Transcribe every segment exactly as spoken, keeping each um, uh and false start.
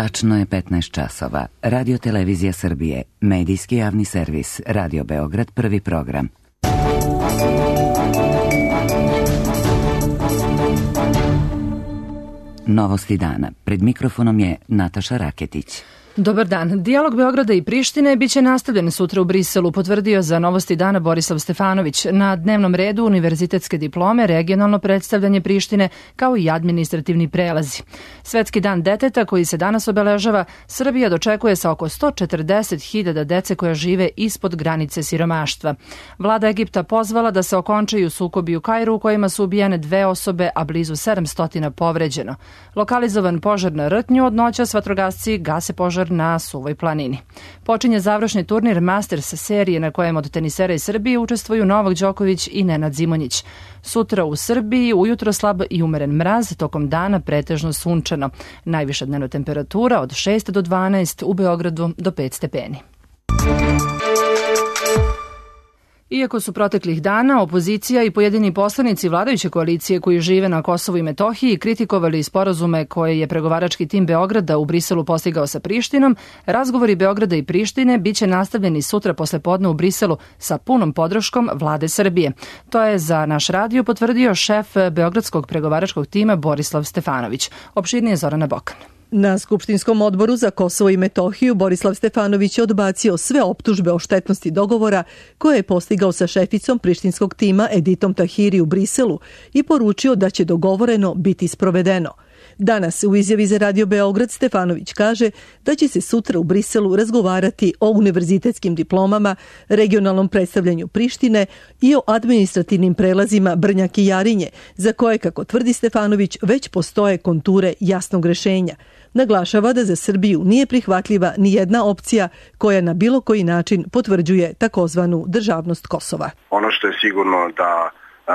Tačno je petnaest časova. Radio Televizija Srbije, medijski javni servis, Radio Beograd, prvi program. Novosti dana. Pred mikrofonom je Nataša Raketić. Dobar dan. Dijalog Beograda i Prištine biće nastavljen sutra u Briselu, potvrdio za Novosti dana Borislav Stefanović. Na dnevnom redu univerzitetske diplome, regionalno predstavljanje Prištine, kao i administrativni prelazi. Svetski dan deteta, koji se danas obeležava, Srbija dočekuje sa oko sto četrdeset hiljada dece koja žive ispod granice siromaštva. Vlada Egipta pozvala da se okončaju sukobi u Kairu u kojima su ubijene dve osobe, a blizu sedamsto povređeno. Lokalizovan požar na Rtnju, od noćas vatrogasci gase požar na Suvoj planini. Počinje završni turnir Masters serije na kojem od tenisera iz Srbije učestvuju Novak Đoković i Nenad Zimonjić. Sutra u Srbiji ujutro slab i umeren mraz, tokom dana pretežno sunčano. Najviša dnevna temperatura od šest do dvanaest, u Beogradu do pet stepeni. Iako su proteklih dana opozicija i pojedini poslanici vladajuće koalicije koji žive na Kosovu i Metohiji kritikovali sporazume koje je pregovarački tim Beograda u Briselu postigao sa Prištinom, razgovori Beograda i Prištine biće nastavljeni sutra posle podne u Briselu sa punom podrškom vlade Srbije. To je za naš radio potvrdio šef beogradskog pregovaračkog tima Borislav Stefanović. Opširnije Zorana Bokan. Na Skupštinskom odboru za Kosovo i Metohiju Borislav Stefanović je odbacio sve optužbe o štetnosti dogovora koje je postigao sa šeficom prištinskog tima Editom Tahiri u Briselu i poručio da će dogovoreno biti sprovedeno. Danas u izjavi za Radio Beograd Stefanović kaže da će se sutra u Briselu razgovarati o univerzitetskim diplomama, regionalnom predstavljanju Prištine i o administrativnim prelazima Brnjak i Jarinje, za koje, kako tvrdi Stefanović, već postoje konture jasnog rešenja. Naglašava da za Srbiju nije prihvatljiva ni jedna opcija koja na bilo koji način potvrđuje takozvanu državnost Kosova. Ono što je sigurno da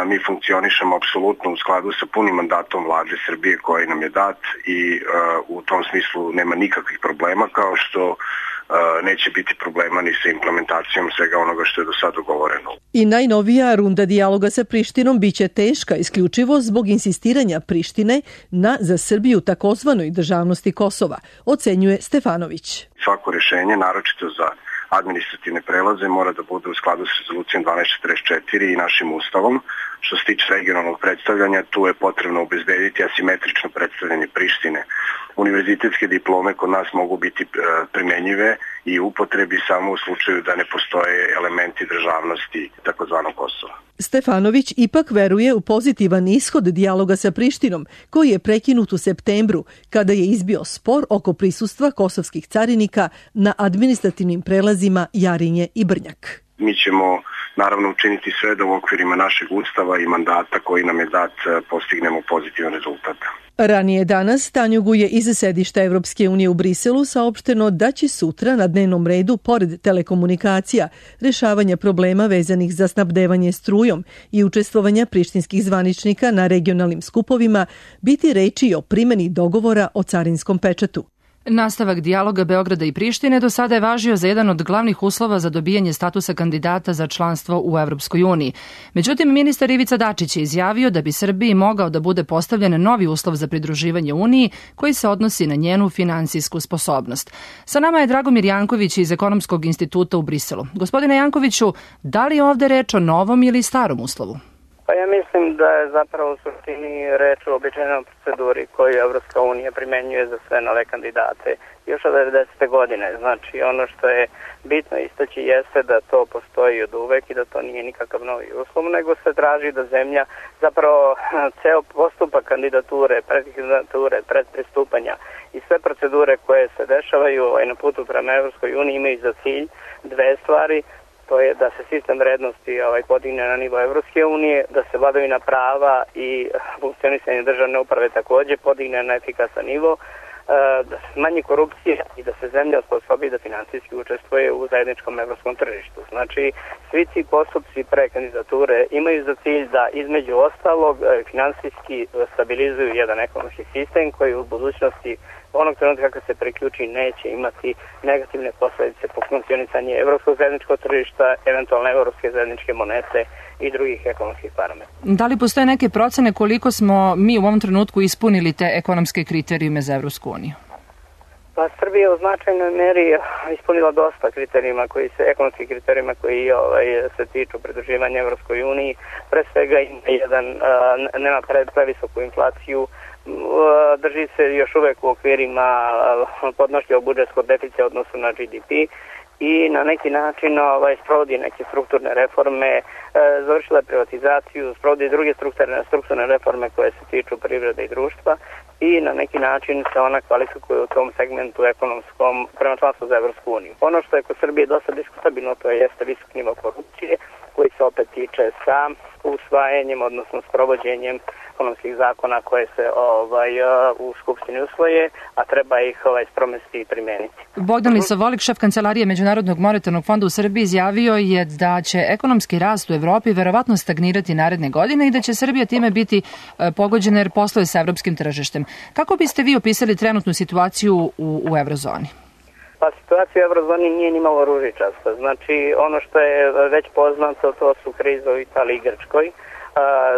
mi funkcionišemo apsolutno u skladu sa punim mandatom vlade Srbije koji nam je dat i uh, u tom smislu nema nikakvih problema, kao što uh, neće biti problema ni sa implementacijom svega onoga što je do sada dogovoreno. I najnovija runda dijaloga sa Prištinom biće teška isključivo zbog insistiranja Prištine na za Srbiju takozvanoj državnosti Kosova, ocenjuje Stefanović. Svako rešenje, naročito za administrativne prelaze, mora da bude u skladu sa rezolucijom dvanaest četrdeset četiri i našim ustavom. Što se tiče regionalnog predstavljanja, tu je potrebno obezbediti asimetrično predstavljanje Prištine. Univerzitetske diplome kod nas mogu biti primenjive i upotrebi samo u slučaju da ne postoje elementi državnosti takozvanog Kosova. Stefanović ipak veruje u pozitivan ishod dijaloga sa Prištinom, koji je prekinut u septembru, kada je izbio spor oko prisustva kosovskih carinika na administrativnim prelazima Jarinje i Brnjak. Mi ćemo naravno učiniti sve da u okvirima našeg ustava i mandata koji nam je dat postignemo pozitivan rezultat. Ranije danas Tanjugu je iz sedišta Evropske unije u Briselu saopšteno da će sutra na dnevnom redu, pored telekomunikacija, rešavanja problema vezanih za snabdevanje strujom i učestvovanja prištinskih zvaničnika na regionalnim skupovima, biti reči o primeni dogovora o carinskom pečatu. Nastavak dijaloga Beograda i Prištine do sada je važio za jedan od glavnih uslova za dobijanje statusa kandidata za članstvo u Evropskoj uniji. Međutim, ministar Ivica Dačić je izjavio da bi Srbiji mogao da bude postavljen novi uslov za pridruživanje Uniji koji se odnosi na njenu finansijsku sposobnost. Sa nama je Dragomir Janković iz Ekonomskog instituta u Briselu. Gospodine Jankoviću, da li je ovde reč o novom ili starom uslovu? Pa ja mislim da je zapravo u suštini reč o običajnoj proceduri koju Evropska unija primenjuje za sve nove kandidate još od devedesete godine. Znači ono što je bitno istaći jeste da to postoji od uvek i da to nije nikakav novi uslov, nego se traži da zemlja zapravo ceo postupak kandidature, predkandidature, predpristupanja i sve procedure koje se dešavaju na putu prema Evropskoj uniji imaju za cilj dve stvari. To je da se sistem vrednosti ovaj, podigne na nivo Evropske unije, da se vladavina prava i funkcionisanje državne uprave takođe podigne na efikasan nivo, da se smanji korupcija i da se zemlja osposobi da finansijski učestvuje u zajedničkom evropskom tržištu. Znači, svi ti postupci pre kandidature imaju za cilj da između ostalog finansijski stabilizuju jedan ekonomski sistem koji u budućnosti onog trenutka kada se priključi neće imati negativne posledice po funkcionisanje evropskog zajedničkog tržišta, eventualne evropske zajedničke monete i drugih ekonomskih parametra. Da li postoje neke procene koliko smo mi u ovom trenutku ispunili te ekonomske kriterijume za Evropsku uniju? Pa Srbija u značajnoj meri ispunila dosta kriterijima koji se, ekonomskih kriterijima koji ovaj, se tiču pridruživanja Evropskoj uniji. Pre svega ima jedan, nema previsoku inflaciju, drži se još uvek u okvirima podnošljivog budžetskog deficita odnosu na G D P i na neki način ovaj, sprovodi neke strukturne reforme, e, završila privatizaciju, sprovodi druge strukturne, strukturne reforme koje se tiču privrede i društva i na neki način se ona kvalifikuje u tom segmentu ekonomskom prema članstvu za Evropsku uniju. Ono što je kod Srbije dosta diskutabilno, to jeste visok nivo korupcije, koji se opet tiče sa usvajanjem, odnosno sprovođenjem ekonomskih zakona koje se ovaj, u Skupštini usvoje, a treba ih ovaj, spromesti i primeniti. Bogdan Lisovolik, šef Kancelarije Međunarodnog monetarnog fonda u Srbiji, izjavio je da će ekonomski rast u Evropi verovatno stagnirati naredne godine i da će Srbija time biti pogođena jer posluje sa evropskim tržištem. Kako biste vi opisali trenutnu situaciju u, u eurozoni? Pa situacija u eurozoni nije ni malo ružičasta. Znači, ono što je već poznato, to su krize u Italiji i Grčkoj,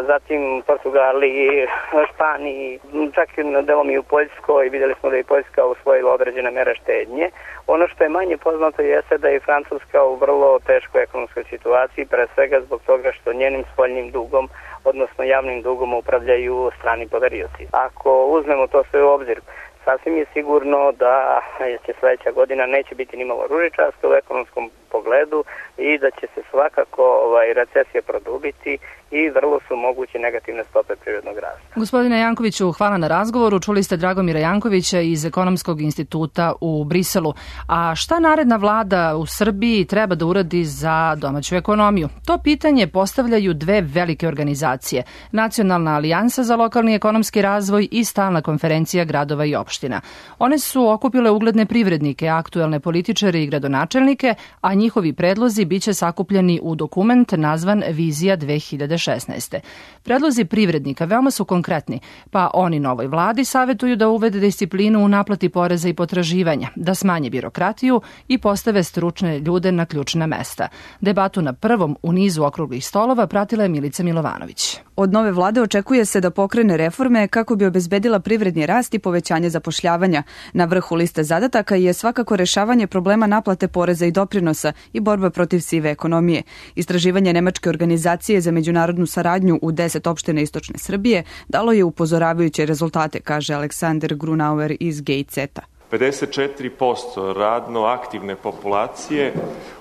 zatim Portugaliji, Španiji, čak i delom i u Poljskoj. Vidjeli smo da je Poljska usvojila određene mere štednje. Ono što je manje poznato jeste da je Francuska u vrlo teškoj ekonomskoj situaciji, pre svega zbog toga što njenim spoljnim dugom, odnosno javnim dugom, upravljaju strani poverioci. Ako uzmemo to sve u obzir, sasvim je sigurno da će sledeća godina neće biti ni malo ružičasta u ekonomskom pogledu i da će se svakako ovaj, recesija produbiti i vrlo su moguće negativne stope privrednog rasta. Gospodine Jankoviću, hvala na razgovoru. Čuli ste Dragomira Jankovića iz Ekonomskog instituta u Briselu. A šta naredna vlada u Srbiji treba da uradi za domaću ekonomiju? To pitanje postavljaju dve velike organizacije. Nacionalna alijansa za lokalni ekonomski razvoj i Stalna konferencija gradova i opština. One su okupile ugledne privrednike, aktuelne političare i gradonačelnike, a njihovi predlozi biće sakupljeni u dokument nazvan Vizija dve hiljade šesnaeste. Predlozi privrednika veoma su konkretni, pa oni novoj vladi savetuju da uvede disciplinu u naplati poreza i potraživanja, da smanje birokratiju i postave stručne ljude na ključna mesta. Debatu na prvom u nizu okruglih stolova pratila je Milica Milovanović. Od nove vlade očekuje se da pokrene reforme kako bi obezbedila privredni rast i povećanje zapošljavanja. Na vrhu liste zadataka je svakako rešavanje problema naplate poreza i doprinosa i borba protiv sive ekonomije. Istraživanje nemačke organizacije za međunarodnu saradnju u deset opština istočne Srbije dalo je upozoravajuće rezultate, kaže Aleksandar Grunauer iz Gejceta. pedeset četiri posto radno aktivne populacije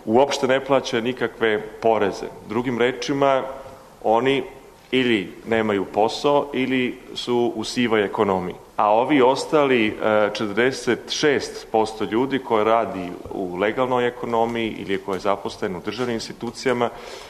uopšte ne plaća nikakve poreze. Drugim rečima, oni ili nemaju posao ili su u sivoj ekonomiji. A ovi ostali četrdeset šest posto ljudi koji radi u legalnoj ekonomiji ili koji je zaposlen u državnim institucijama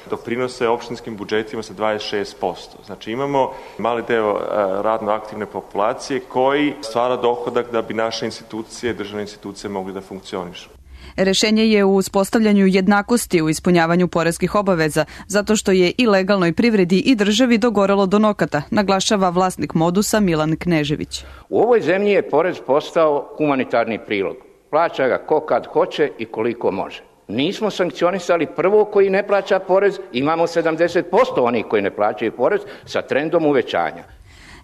doprinose opštinskim budžetima sa dvadeset šest posto. Znači imamo mali deo radno aktivne populacije koji stvara dohodak da bi naše institucije, državne institucije mogli da funkcionišu. Rešenje je u uspostavljanju jednakosti u ispunjavanju poreskih obaveza, zato što je i legalnoj privredi i državi dogorelo do nokata, naglašava vlasnik Modusa Milan Knežević. U ovoj zemlji je porez postao humanitarni prilog. Plaća ga ko kad hoće i koliko može. Nismo sankcionisali prvo koji ne plaća porez, imamo sedamdeset posto onih koji ne plaćaju porez sa trendom uvećanja.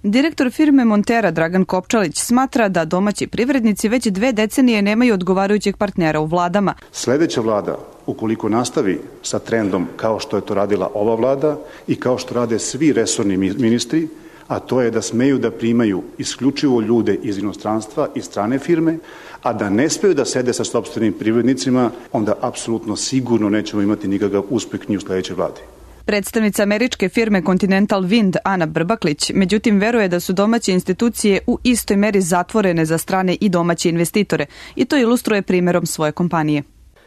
Direktor firme Montera Dragan Kopčalić smatra da domaći privrednici već dve decenije nemaju odgovarajućeg partnera u vladama. Sledeća vlada, ukoliko nastavi sa trendom kao što je to radila ova vlada i kao što rade svi resorni ministri, a to je da smeju da primaju isključivo ljude iz inostranstva i strane firme, a da ne smeju da sede sa sopstvenim privrednicima, onda apsolutno sigurno nećemo imati nikakav uspeh ni u sledećoj vladi. Predstavnica američke firme Continental Wind Ana Brbaklić, međutim, veruje da su domaće institucije u istoj meri zatvorene za strane i domaće investitore i to ilustruje primjerom svoje kompanije.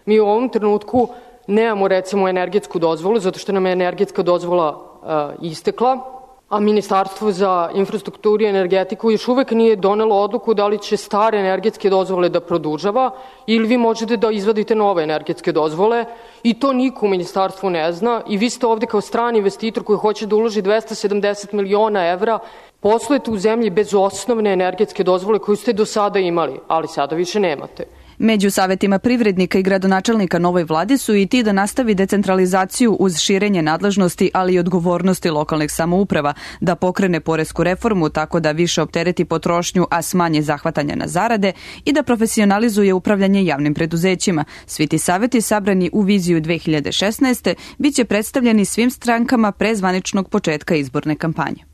Mi u ovom trenutku nemamo recimo energetsku dozvolu zato što nam je energetska dozvola uh, istekla, a Ministarstvo za infrastrukturu i energetiku još uvek nije donelo odluku da li će stare energetske dozvole da produžava ili vi možete da izvadite nove energetske dozvole i to niko u ministarstvu ne zna i vi ste ovde kao strani investitor koji hoće da uloži dvesta sedamdeset miliona evra, poslujete u zemlji bez osnovne energetske dozvole koju ste do sada imali, ali sada više nemate. Među savjetima privrednika i gradonačelnika novoj vladi su i ti da nastavi decentralizaciju uz širenje nadležnosti, ali i odgovornosti lokalnih samouprava, da pokrene poresku reformu tako da više optereti potrošnju, a smanje zahvatanja na zarade i da profesionalizuje upravljanje javnim preduzećima. Svi ti savjeti sabrani u viziju dve hiljade šesnaeste bit će predstavljeni svim strankama pre zvaničnog početka izborne kampanje.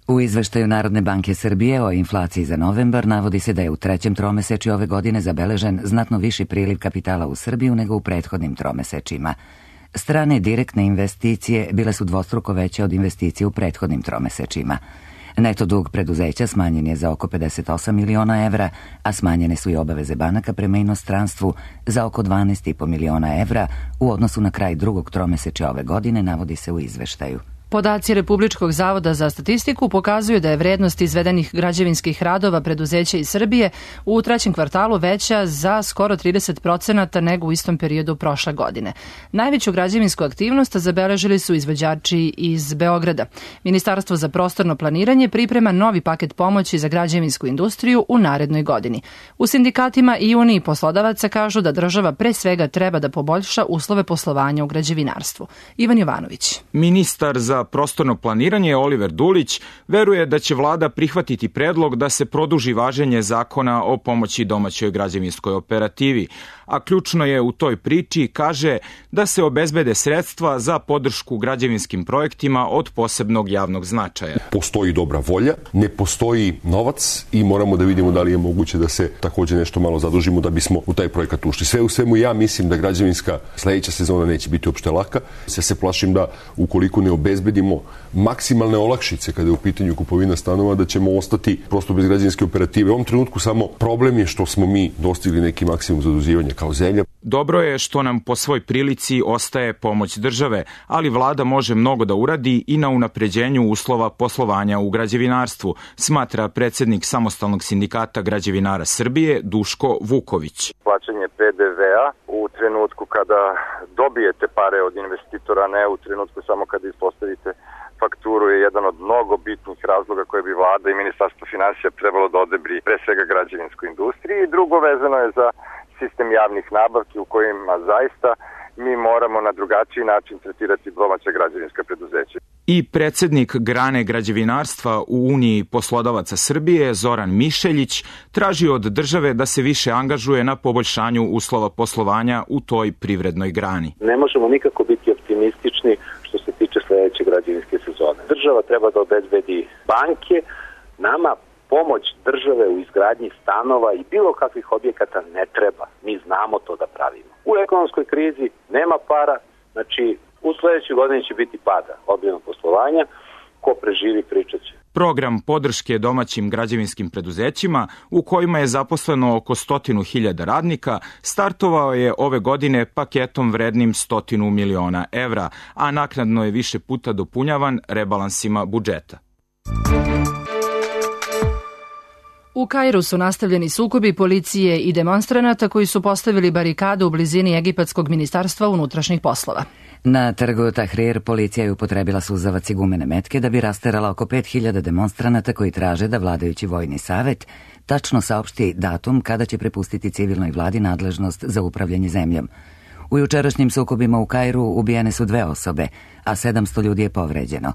U izveštaju Narodne banke Srbije o inflaciji za novembar navodi se da je u trećem tromesečju ove godine zabeležen znatno viši priliv kapitala u Srbiju nego u prethodnim tromesečjima. Strane direktne investicije bile su dvostruko veće od investicije u prethodnim tromesečjima. Neto dug preduzeća smanjen je za oko pedeset osam miliona evra, a smanjene su i obaveze banaka prema inostranstvu za oko dvanaest i po miliona evra u odnosu na kraj drugog tromesečja ove godine, navodi se u izveštaju. Podaci Republičkog zavoda za statistiku pokazuju da je vrednost izvedenih građevinskih radova preduzeća iz Srbije u trećem kvartalu veća za skoro trideset procenata nego u istom periodu prošle godine. Najveću građevinsku aktivnost zabeležili su izvođači iz Beograda. Ministarstvo za prostorno planiranje priprema novi paket pomoći za građevinsku industriju u narednoj godini. U sindikatima i Uniji poslodavaca kažu da država pre svega treba da poboljša uslove poslovanja u građevinarstvu. Ivan Jovanović. Ministar za prostorno planiranje Oliver Dulić veruje da će vlada prihvatiti predlog da se produži važenje zakona o pomoći domaćoj građevinskoj operativi, a ključno je u toj priči, kaže, da se obezbede sredstva za podršku građevinskim projektima od posebnog javnog značaja. Postoji dobra volja, ne postoji novac i moramo da vidimo da li je moguće da se takođe nešto malo zadužimo da bismo u taj projekat ušli. Sve u svemu ja mislim da građevinska sledeća sezona neće biti uopšte laka. Ja se plašim da ukoliko ne obezbedimo maksimalne olakšice kada je u pitanju kupovina stanova, da ćemo ostati prosto bez građevinske operative. U ovom trenutku samo problem je što smo mi dostigli neki maksimum zaduživanja kao zemlja. Dobro je što nam po svoj prilici ostaje pomoć države, ali vlada može mnogo da uradi i na unapređenju uslova poslovanja u građevinarstvu, smatra predsednik Samostalnog sindikata građevinara Srbije Duško Vuković. Plaćanje P D V-a u trenutku kada dobijete pare od investitora, ne u trenutku samo kada ispostavite fakturu, je jedan od mnogo bitnih razloga koje bi vlada i Ministarstvo finansija trebalo da odebri pre svega građevinskoj industriji. I drugo vezano je za sistem javnih nabavki u kojima zaista mi moramo na drugačiji način tretirati domaća građevinska preduzeća. I predsednik grane građevinarstva u Uniji poslodavaca Srbije, Zoran Mišeljić, traži od države da se više angažuje na poboljšanju uslova poslovanja u toj privrednoj grani. Ne možemo nikako biti optimistični što se tiče sledeće građevinske sezone. Država treba da obezbedi banke, nama pomoć države u izgradnji stanova i bilo kakvih objekata ne treba. Mi znamo to da pravimo. U ekonomskoj krizi nema para, znači u sledećoj godini će biti pada obimnog poslovanja, ko preživi pričat će. Program podrške domaćim građevinskim preduzećima, u kojima je zaposleno oko stotinu hiljada radnika, startovao je ove godine paketom vrednim stotinu miliona evra, a naknadno je više puta dopunjavan rebalansima budžeta. U Kairu su nastavljeni sukobi policije i demonstranata koji su postavili barikadu u blizini Egipatskog ministarstva unutrašnjih poslova. Na trgu Tahrir policija je upotrebila suzavac i gumene metke da bi rasterala oko pet hiljada demonstranata koji traže da vladajući vojni savet tačno saopšti datum kada će prepustiti civilnoj vladi nadležnost za upravljanje zemljom. U jučerašnjim sukobima u Kairu ubijene su dve osobe, a sedamsto ljudi je povređeno.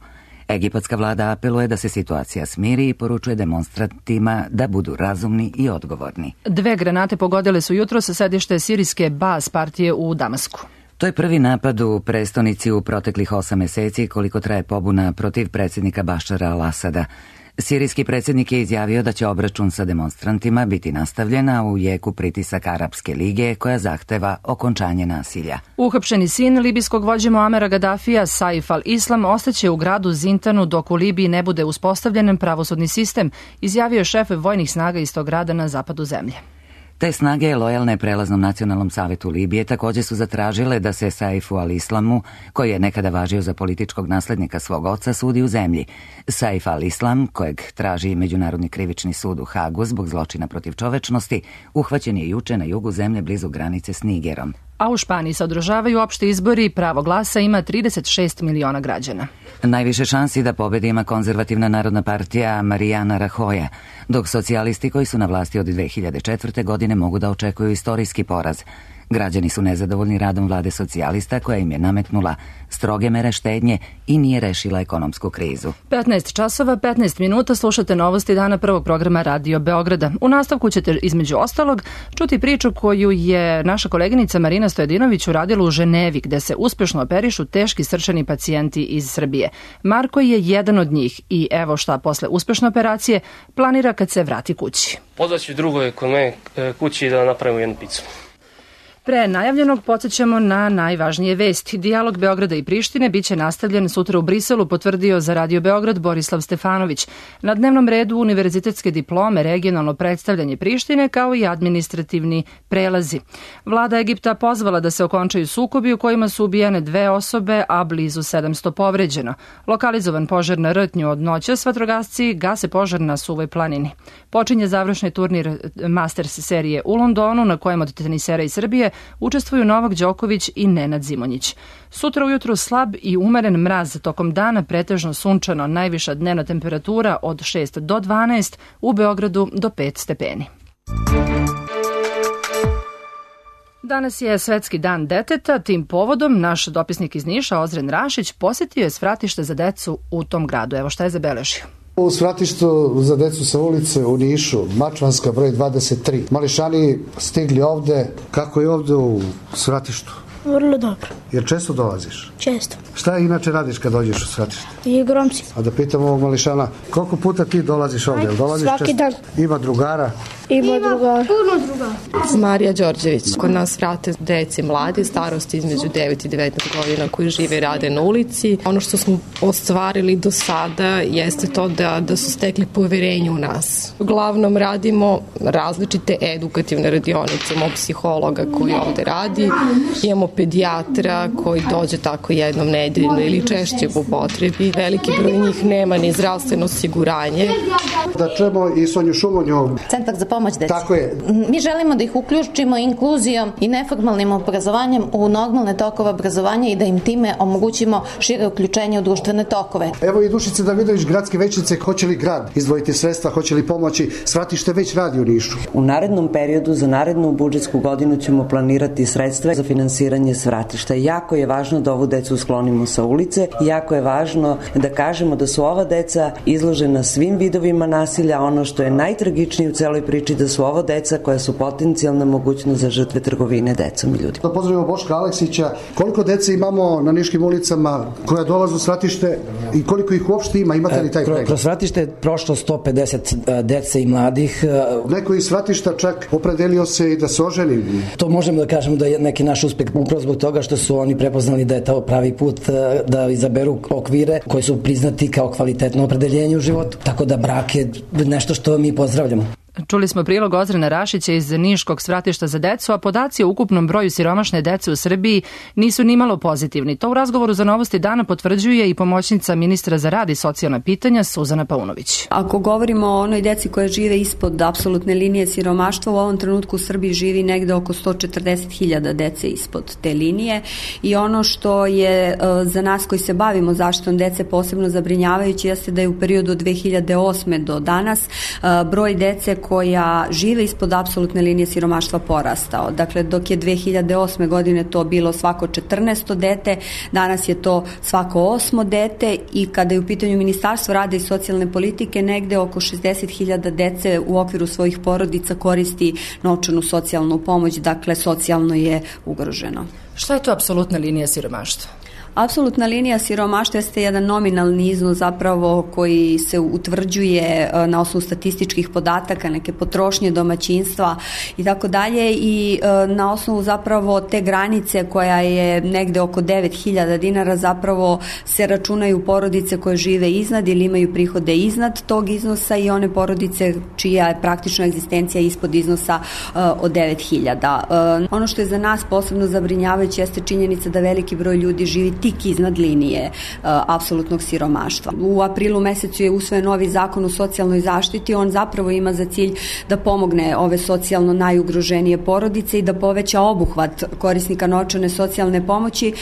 Egipatska vlada apeluje da se situacija smiri i poručuje demonstrantima da budu razumni i odgovorni. Dve granate pogodile su jutro sa sedište sirijske Baas partije u Damasku. To je prvi napad u prestonici u proteklih osam meseci koliko traje pobuna protiv predsjednika Bašara al-Asada. Sirijski predsjednik je izjavio da će obračun sa demonstrantima biti nastavljena u jeku pritisak Arapske lige koja zahteva okončanje nasilja. Uhapšeni sin libijskog vođe Muamera Gadafija, Saif al-Islam, ostaće u gradu Zintanu dok u Libiji ne bude uspostavljen pravosudni sistem, izjavio šef vojnih snaga iz tog grada na zapadu zemlje. Te snage, lojalne prelaznom nacionalnom savetu Libije, također su zatražile da se Saifu al-Islamu, koji je nekada važio za političkog naslednika svog oca, sudi u zemlji. Saif al-Islam, kojeg traži Međunarodni krivični sud u Hagu zbog zločina protiv čovečnosti, uhvaćen je juče na jugu zemlje blizu granice s Nigerom. a u Španiji se održavaju opšti izbori i pravo glasa ima trideset šest miliona građana. Najviše šansi da pobedi ima konzervativna narodna partija Mariana Rajoya, dok socijalisti koji su na vlasti od dve hiljade četvrte. godine mogu da očekuju istorijski poraz. Građani su nezadovoljni radom vlade socijalista koja im je nametnula stroge mere štednje i nije rešila ekonomsku krizu. petnaest časova, petnaest minuta, slušate novosti dana prvog programa Radio Beograda. U nastavku ćete između ostalog čuti priču koju je naša koleginica Marina Stojadinović uradila u Ženevi, gde se uspešno operišu teški srčani pacijenti iz Srbije. Marko je jedan od njih i evo šta posle uspešne operacije planira kad se vrati kući. Pozvaću drugove kod mene kući da napravimo jednu picu. Pre najavljenog podsjećamo na najvažnije vesti. Dijalog Beograda i Prištine biće nastavljen sutra u Briselu, potvrdio za Radio Beograd Borislav Stefanović. Na dnevnom redu univerzitetske diplome, regionalno predstavljanje Prištine kao i administrativni prelazi. Vlada Egipta pozvala da se okončaju sukobi u kojima su ubijene dve osobe, a blizu sedamsto povređeno. Lokalizovan požar na Rtnju od noćas, vatrogasci gase požar na Suvoj planini. Počinje završni turnir Masters serije u Londonu, na kojem od tenisera iz Srbije učestvuju Novak Đoković i Nenad Zimonjić. Sutra ujutru slab i umeren mraz, tokom dana pretežno sunčano, najviša dnevna temperatura od šest do dvanaest, u Beogradu do pet stepeni. Danas je Svetski dan deteta, tim povodom naš dopisnik iz Niša, Ozren Rašić, posjetio je svratište za decu u tom gradu. Evo šta je zabeležio. U svratištu za decu sa ulice u Nišu, Mačvanska broj dvadeset tri. Mališani stigli ovde. Kako je ovde u svratištu? Vrlo dobro. Jer često dolaziš? Često. Šta inače radiš kad dođeš u svratište? Igram se. A da pitam ovog Mališana, koliko puta ti dolaziš ovde? Dolaziš svaki često? Dan. Ima drugara? Ima drugara. Puno drugara. Marija Đorđević. Kod nas vrate deci mladi, starosti između devet i devetnaest godina koji žive i rade na ulici. Ono što smo ostvarili do sada jeste to da, da su stekli poverenje u nas. Uglavnom radimo različite edukativne radionice, imamo psihologa koji ovde radi, imamo pedijatra koji dođe tako jednom nedeljno ili češće po potrebi. Veliki broj njih nema ni zdravstveno osiguranje. Da čujemo i Sonju Šumonju. Centar za pomoć deci. Tako je. Mi želimo da ih uključimo inkluzijom i neformalnim obrazovanjem u normalne tokove obrazovanja i da im time omogućimo šire uključenje u društvene tokove. Evo i Dušice Davidović, gradske većnice, hoće li grad izdvojiti sredstva, hoće li pomoći? Svratište već radi u Nišu. U narednom periodu za narednu budžetsku godinu ćemo planirati sredstva za finansiranje svratišta. Jako je važno da ovu decu sklonimo sa ulice i jako je važno da kažemo da su ova deca izložena svim vidovima nasilja. Ono što je najtragičnije u celoj priči da su ovo deca koja su potencijalna mogućnost za žrtve trgovine decom i ljudima. Da pozdravimo Boška Aleksića. Koliko dece imamo na niškim ulicama koja dolaze u svratište i koliko ih uopšte ima? Imate li taj pregled? Kroz svratište je prošlo sto pedeset dece i mladih. Neko iz svratišta čak opredelio se i da se oženi. To možemo da kažemo da je neki naš uspeh upravo zbog toga što su oni prepoznali da je to pravi put da izaberu okvire koji su priznati kao kvalitetno opredeljenje u životu. Tako da brak je nešto što mi pozdravljamo. Čuli smo prilog Ozrena Rašića iz Niškog svratišta za decu, a podaci o ukupnom broju siromašne dece u Srbiji nisu nimalo pozitivni. To u razgovoru za Novosti dana potvrđuje i pomoćnica ministra za rad i socijalna pitanja Suzana Paunović. Ako govorimo o onoj deci koja žive ispod apsolutne linije siromaštva, u ovom trenutku u Srbiji živi negde oko sto četrdeset hiljada dece ispod te linije i ono što je za nas koji se bavimo zaštitom dece posebno zabrinjavajuće jeste da je u periodu od dve hiljade osme do danas broj dece koja žive ispod apsolutne linije siromaštva porastao. Dakle, dok je dve hiljade osme godine to bilo svako četrnaesto dete, danas je to svako osmo dete i kada je u pitanju Ministarstvo rada i socijalne politike, negde oko šezdeset hiljada dece u okviru svojih porodica koristi novčanu socijalnu pomoć, dakle, socijalno je ugroženo. Šta je to apsolutna linija siromaštva? Apsolutna linija siromaštva jeste jedan nominalni iznos zapravo koji se utvrđuje na osnovu statističkih podataka, neke potrošnje domaćinstva i tako dalje i na osnovu zapravo te granice koja je negde oko devet hiljada dinara zapravo se računaju porodice koje žive iznad ili imaju prihode iznad tog iznosa i one porodice čija je praktična egzistencija ispod iznosa od devet hiljada. Ono što je za nas posebno zabrinjavajuće jeste činjenica da veliki broj ljudi živi tik iznad linije apsolutnog siromaštva. U aprilu mesecu je usvojen novi zakon o socijalnoj zaštiti, on zapravo ima za cilj da pomogne ove socijalno najugroženije porodice i da poveća obuhvat korisnika novčane socijalne pomoći.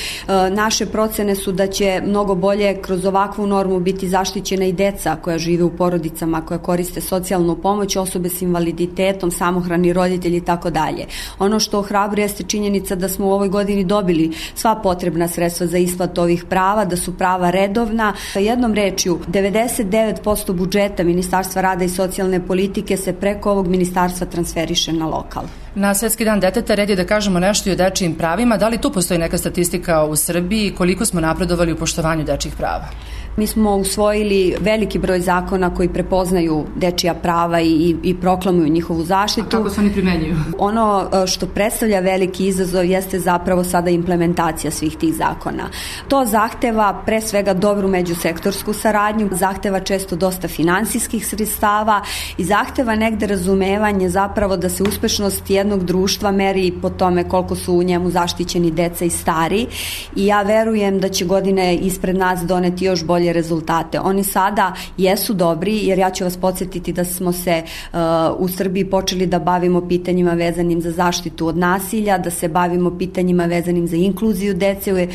Naše procene su da će mnogo bolje kroz ovakvu normu biti zaštićena i deca koja žive u porodicama, koja koriste socijalnu pomoć, osobe s invaliditetom, samohrani roditelji i tako dalje. Ono što ohrabruje jeste činjenica da smo u ovoj godini dobili sva potrebna sredstva za isplatu ovih prava, da su prava redovna. Jednom rečju, devedeset devet posto budžeta Ministarstva rada i socijalne politike se preko ovog ministarstva transferiše na lokal. Na Svetski dan deteta red je da kažemo nešto i o dečijim pravima. Da li tu postoji neka statistika u Srbiji koliko smo napredovali u poštovanju dečjih prava? Mi smo usvojili veliki broj zakona koji prepoznaju dečija prava i, i proklamuju njihovu zaštitu. A kako se oni primenjuju? Ono što predstavlja veliki izazov jeste zapravo sada implementacija svih tih zakona. To zahteva pre svega dobru međusektorsku saradnju, zahteva često dosta finansijskih sredstava i zahteva negde razumevanje zapravo da se uspešnost jednog društva meri po tome koliko su u njemu zaštićeni deca i stari i ja verujem da će godine ispred nas doneti još bolje rezultate. Oni sada jesu dobri, jer ja ću vas podsjetiti da smo se uh, u Srbiji počeli da bavimo pitanjima vezanim za zaštitu od nasilja, da se bavimo pitanjima vezanim za inkluziju dece, uh,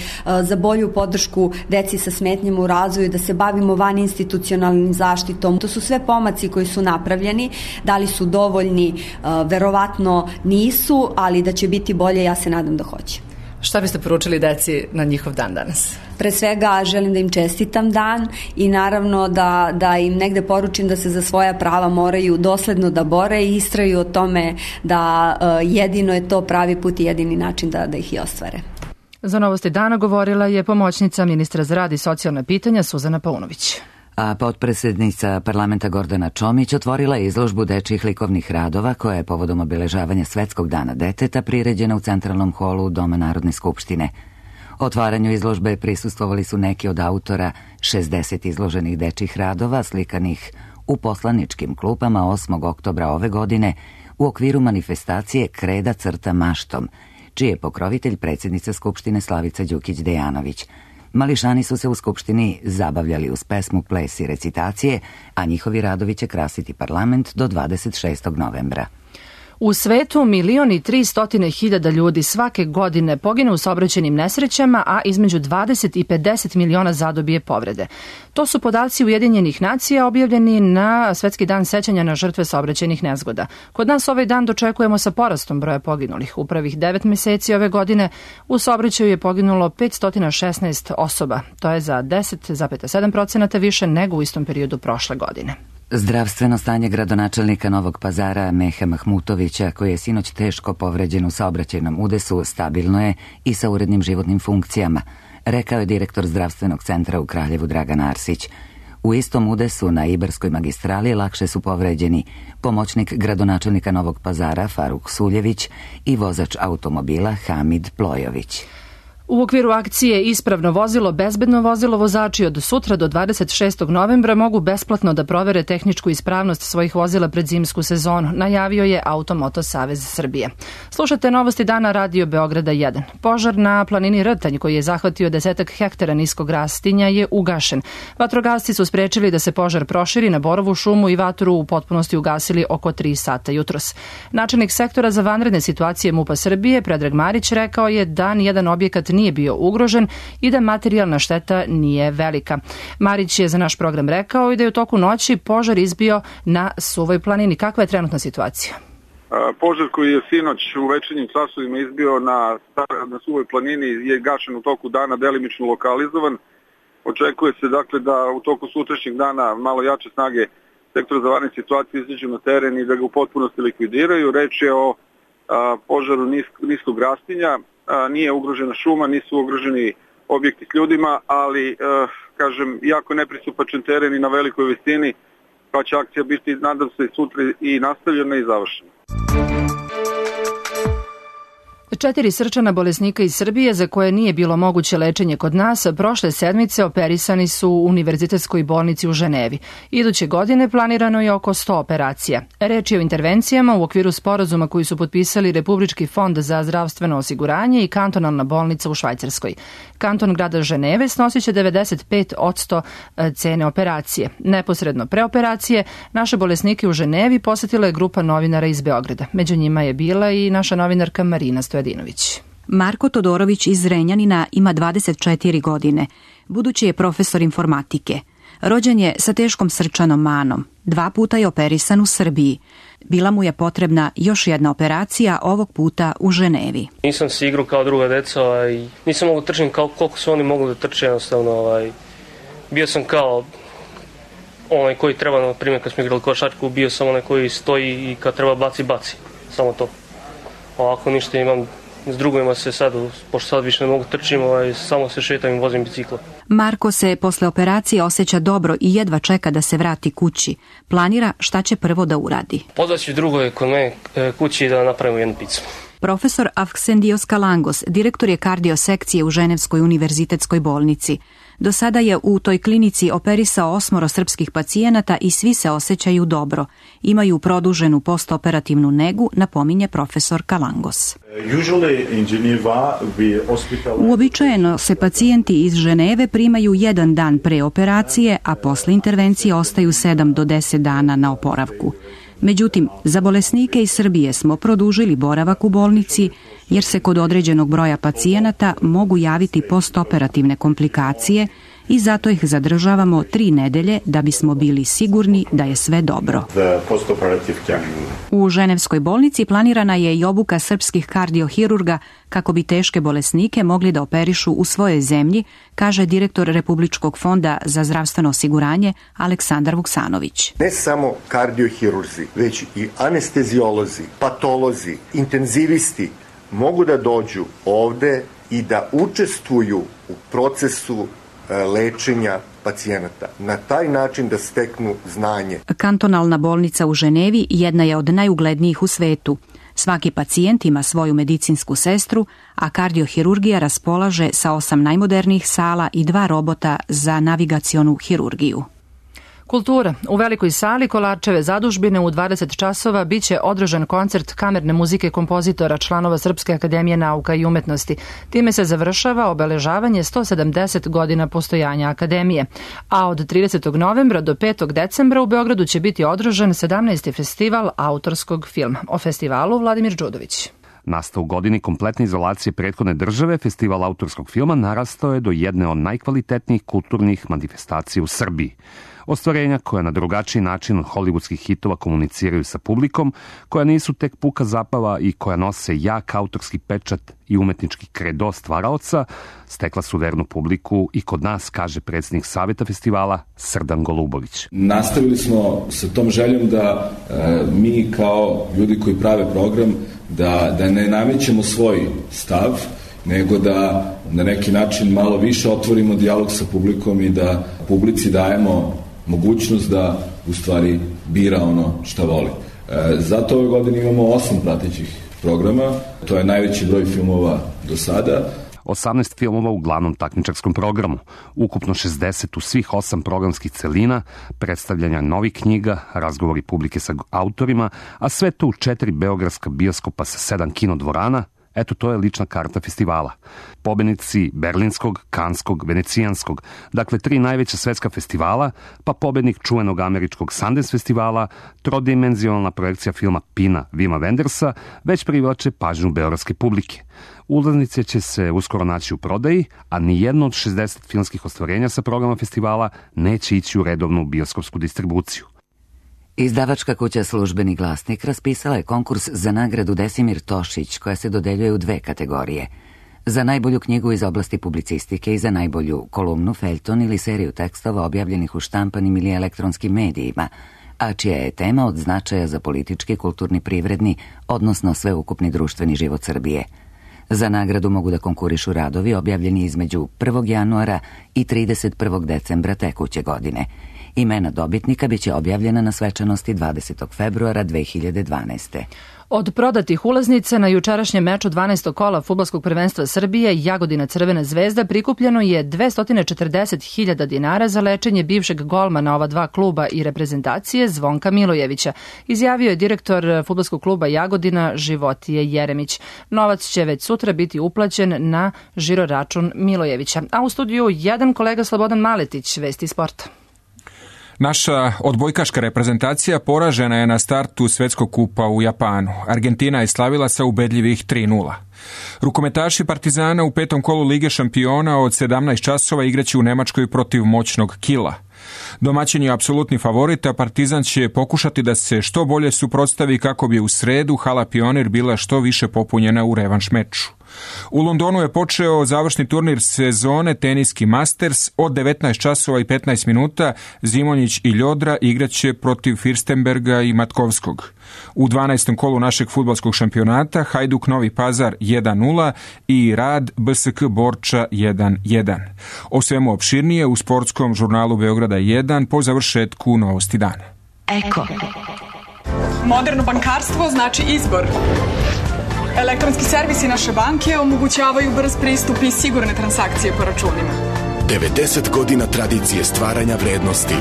za bolju podršku deci sa smetnjama u razvoju, da se bavimo vaninstitucionalnim zaštitom. To su sve pomaci koji su napravljeni. Da li su dovoljni? Uh, verovatno nisu, ali da će biti bolje, ja se nadam da hoće. Šta biste poručili deci na njihov dan danas? Pre svega želim da im čestitam dan i naravno da, da im negde poručim da se za svoja prava moraju dosledno da bore i istraju o tome da uh, jedino je to pravi put i jedini način da, da ih i ostvare. Za Novosti dana govorila je pomoćnica ministra za rad i socijalna pitanja Suzana Paunović. A potpredsednica parlamenta Gordana Čomić otvorila je izložbu dečjih likovnih radova koja je povodom obeležavanja Svetskog dana deteta priređena u centralnom holu Doma Narodne skupštine. Otvaranju izložbe prisustvovali su neki od autora šezdeset izloženih dečjih radova slikanih u poslaničkim klupama osmog oktobra ove godine u okviru manifestacije Kreda crta maštom, čiji je pokrovitelj predsjednica Skupštine Slavica Đukić-Dejanović. Mališani su se u Skupštini zabavljali uz pesmu, ples i recitacije, a njihovi radovi će krasiti parlament do dvadeset šestog novembra. U svetu milion i tri stotine hiljada ljudi svake godine pogine u saobraćajnim nesrećama, a između dvadeset i pedeset miliona zadobije povrede. To su podaci Ujedinjenih nacija objavljeni na Svetski dan sećanja na žrtve saobraćajnih nezgoda. Kod nas ovaj dan dočekujemo sa porastom broja poginulih. U prvih devet meseci ove godine u saobraćaju je poginulo petsto šesnaest osoba. To je za deset zarez sedam posto više nego u istom periodu prošle godine. Zdravstveno stanje gradonačelnika Novog Pazara Meha Mahmutovića, koji je sinoć teško povređen u saobraćajnom udesu, stabilno je i sa urednim životnim funkcijama, rekao je direktor zdravstvenog centra u Kraljevu Dragan Arsić. U istom udesu na Ibarskoj magistrali lakše su povređeni pomoćnik gradonačelnika Novog Pazara Faruk Suljević i vozač automobila Hamid Plojović. U okviru akcije Ispravno vozilo, bezbedno vozilo, vozači od sutra do dvadeset šestog novembra mogu besplatno da provere tehničku ispravnost svojih vozila pred zimsku sezonu, najavio je Automoto Savez Srbije. Slušate Novosti dana Radio Beograda jedan. Požar na planini Rtanj, koji je zahvatio desetak hektara niskog rastinja, je ugašen. Vatrogasci su sprečili da se požar proširi na Borovu šumu i vatru u potpunosti ugasili oko tri sata jutros. Načelnik sektora za vanredne situacije MUP-a Srbije, Predrag Marić, rekao je da nijedan objekat nije bio ugrožen i da materijalna šteta nije velika. Marić je za naš program rekao i da je u toku noći požar izbio na Suvoj planini. Kakva je trenutna situacija? Požar koji je sinoć u večernjim časovima izbio na, na Suvoj planini je gašen u toku dana, delimično lokalizovan. Očekuje se dakle da u toku sutrašnjeg dana malo jače snage sektora za vanredne situacije izađu na teren i da ga u potpunosti likvidiraju. Reč je o a, požaru nisk, niskog rastinja. A, nije ugrožena šuma, nisu ugroženi objekti s ljudima, ali, a, kažem, jako nepristupačan teren i na velikoj visini, pa će akcija biti, nadam se, sutra i nastavljena i završena. Četiri srčana bolesnika iz Srbije za koje nije bilo moguće lečenje kod nas prošle sedmice operisani su u Univerzitetskoj bolnici u Ženevi. Iduće godine planirano je oko sto operacija. Reč je o intervencijama u okviru sporazuma koji su potpisali Republički fond za zdravstveno osiguranje i kantonalna bolnica u Švajcarskoj. Kanton grada Ženeve snosit će devedeset pet posto cene operacije. Neposredno pre operacije naše bolesnike u Ženevi posetila je grupa novinara iz Beograda. Među njima je bila i naša novinarka Marina Stojadinović. Marko Todorović iz Zrenjanina ima dvadeset četiri godine. Budući je profesor informatike. Rođen je sa teškom srčanom manom. Dva puta je operisan u Srbiji. Bila mu je potrebna još jedna operacija, ovog puta u Ženevi. Nisam se igrao kao druga deca, ovaj, nisam mogu trčati kao koliko su oni mogli da trče jednostavno. Ovaj. Bio sam kao onaj koji treba, na primjer kad smo igrali košarku, bio sam onaj koji stoji i kad treba baci, baci. Samo to. Ovako ništa imam. S drugovima se sad, pošto sad više ne mogu trčim, ovaj, samo se šetam i vozim bicikla. Marko se posle operacije osjeća dobro i jedva čeka da se vrati kući. Planira šta će prvo da uradi. Pozvaću drugove kod mene kući da napravimo jednu picu. Profesor Avksendios Kalangos, direktor je kardiosekcije u Ženevskoj univerzitetskoj bolnici. Do sada je u toj klinici operisao osmoro srpskih pacijenata i svi se osjećaju dobro. Imaju produženu postoperativnu negu, napominje profesor Kalangos. Uobičajeno se pacijenti iz Ženeve primaju jedan dan pre operacije, a posle intervencije ostaju sedam do deset dana na oporavku. Međutim, za bolesnike iz Srbije smo produžili boravak u bolnici jer se kod određenog broja pacijenata mogu javiti postoperativne komplikacije i zato ih zadržavamo tri nedelje da bismo bili sigurni da je sve dobro. U Ženevskoj bolnici planirana je i obuka srpskih kardiohirurga kako bi teške bolesnike mogli da operišu u svojoj zemlji, kaže direktor Republičkog fonda za zdravstveno osiguranje Aleksandar Vuksanović. Ne samo kardiohirurzi, već i anesteziolozi, patolozi, intenzivisti mogu da dođu ovde i da učestvuju u procesu lečenja pacijenata. Na taj način da steknu znanje. Kantonalna bolnica u Ženevi jedna je od najuglednijih u svetu. Svaki pacijent ima svoju medicinsku sestru, a kardiohirurgija raspolaže sa osam najmodernijih sala i dva robota za navigacionu hirurgiju. Kultura. U velikoj sali Kolarčeve zadužbine u dvadeset časova biće održan koncert kamerne muzike kompozitora članova Srpske akademije nauka i umetnosti. Time se završava obeležavanje sto sedamdeset godina postojanja akademije. A od tridesetog novembra do petog decembra u Beogradu će biti održan sedamnaesti festival autorskog filma. O festivalu Vladimir Đudović. Nastao u godini kompletne izolacije prethodne države, festival autorskog filma narastao je do jedne od najkvalitetnijih kulturnih manifestacija u Srbiji. Ostvarenja koja na drugačiji način od hollywoodskih hitova komuniciraju sa publikom, koja nisu tek puka zabava i koja nose jak autorski pečat i umetnički kredo stvaraoca, stekla su vernu publiku i kod nas, kaže predsjednik Saveta festivala Srdan Golubović. Nastavili smo sa tom željom da e, mi kao ljudi koji prave program da, da ne namećemo svoj stav, nego da na neki način malo više otvorimo dijalog sa publikom i da publici dajemo mogućnost da u stvari bira ono šta voli. E, zato ove godine imamo osam pratećih programa, to je najveći broj filmova do sada. osamnaest filmova u glavnom takmičarskom programu, ukupno šezdeset u svih osam programskih celina, predstavljanja novih knjiga, razgovori publike sa autorima, a sve to u četiri beogradska bioskopa sa sedam kinodvorana. Eto, to je lična karta festivala. Pobednici Berlinskog, Kanskog, Venecijanskog, dakle tri najveća svetska festivala, pa pobednik čuvenog američkog Sundance festivala, trodimenzionalna projekcija filma Pina Vima Wendersa, već privlače pažnju beogradske publike. Ulaznice će se uskoro naći u prodaji, a nijedno od šezdeset filmskih ostvarenja sa programa festivala neće ići u redovnu bioskopsku distribuciju. Izdavačka kuća Službeni glasnik raspisala je konkurs za nagradu Desimir Tošić, koja se dodeljuje u dve kategorije. Za najbolju knjigu iz oblasti publicistike i za najbolju kolumnu, feljton ili seriju tekstova objavljenih u štampanim ili elektronskim medijima, a čija je tema od značaja za politički, kulturni, privredni, odnosno sveukupni društveni život Srbije. Za nagradu mogu da konkurišu radovi objavljeni između prvog januara i trideset prvog decembra tekuće godine. Imena dobitnika biće objavljena na svečanosti dvadesetog februara dve hiljade dvanaeste. Od prodatih ulaznica na jučerašnjem meču dvanaestog kola fudbalskog prvenstva Srbije Jagodina Crvena zvezda prikupljeno je dvesta četrdeset hiljada dinara za lečenje bivšeg golmana ova dva kluba i reprezentacije Zvonka Milojevića, izjavio je direktor fudbalskog kluba Jagodina Životije Jeremić. Novac će već sutra biti uplaćen na žiro račun Milojevića. A u studiju jedan kolega Slobodan Maletić, Vesti sporta. Naša odbojkaška reprezentacija poražena je na startu Svetskog kupa u Japanu. Argentina je slavila sa ubedljivih tri nula. Rukometaši Partizana u petom kolu Lige šampiona od sedamnaest časova igraće u Nemačkoj protiv moćnog Kila. Domaćin je apsolutni favorit, a Partizan će pokušati da se što bolje suprotstavi kako bi u sredu hala Pionir bila što više popunjena u revanš meču. U Londonu je počeo završni turnir sezone Teniski Masters. Od devetnaest časova i petnaest minuta Zimonjić i Ljodra igraće protiv Firstenberga i Matkovskog. U dvanaestom kolu našeg fudbalskog šampionata Hajduk Novi Pazar jedan nula i Rad B S K Borča jedan jedan. O svemu opširnije u sportskom žurnalu Beograda jedan po završetku Novosti dana. Eko. Moderno bankarstvo znači izbor. Elektronski servisi naše banke omogućavaju brz pristup i sigurne transakcije po računima. devedeset godina tradicije stvaranja vrednosti.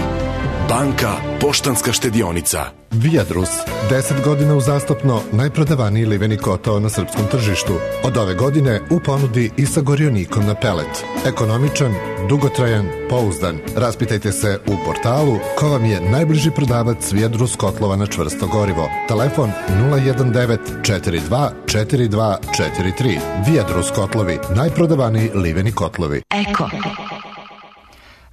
Banka Poštanska štedionica. Viadrus, deset godina uzastopno najprodavaniji liveni kotao na srpskom tržištu. Od ove godine u ponudi i sa gorionikom na pelet. Ekonomičan, dugotrajan, pouzdan. Raspitajte se u portalu ko vam je najbliži prodavac Viadrus kotlova na čvrsto gorivo. Telefon nula jedan devet četiri dva četiri dva četiri tri. Viadrus kotlovi, najprodavaniji liveni kotlovi. Eko.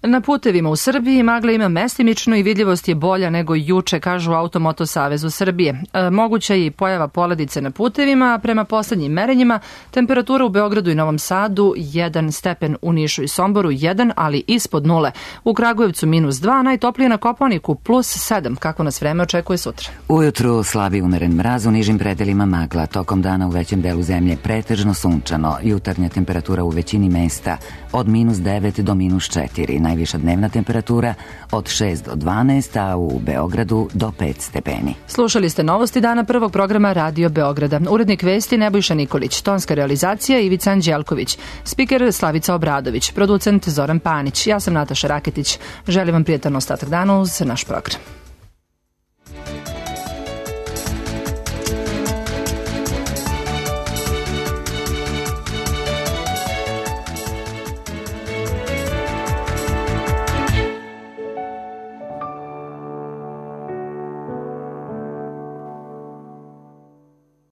Na putevima u Srbiji magla ima mestimično i vidljivost je bolja nego juče, kažu Automoto Savezu Srbije. E, moguća je i pojava poledice na putevima, a prema poslednjim merenjima temperatura u Beogradu i Novom Sadu jedan stepen, u Nišu i Somboru jedan, ali ispod nule. U Kragujevcu minus dva, najtoplije na Kopaoniku plus sedam. Kako nas vreme očekuje sutra? Ujutru slabi umeren mraz, u nižim predelima magla. Tokom dana u većem delu zemlje pretežno sunčano. Jutarnja temperatura u većini mesta od minus devet do minus četiri. Najviša dnevna temperatura od šest do dvanaest, a u Beogradu do pet stepeni. Slušali ste Novosti dana prvog programa Radio Beograda. Urednik vesti Nebojša Nikolić, tonska realizacija Ivica Anđelković, spiker Slavica Obradović, producent Zoran Panić. Ja sam Nataša Raketić. Želim vam prijatan ostatak dana uz naš program.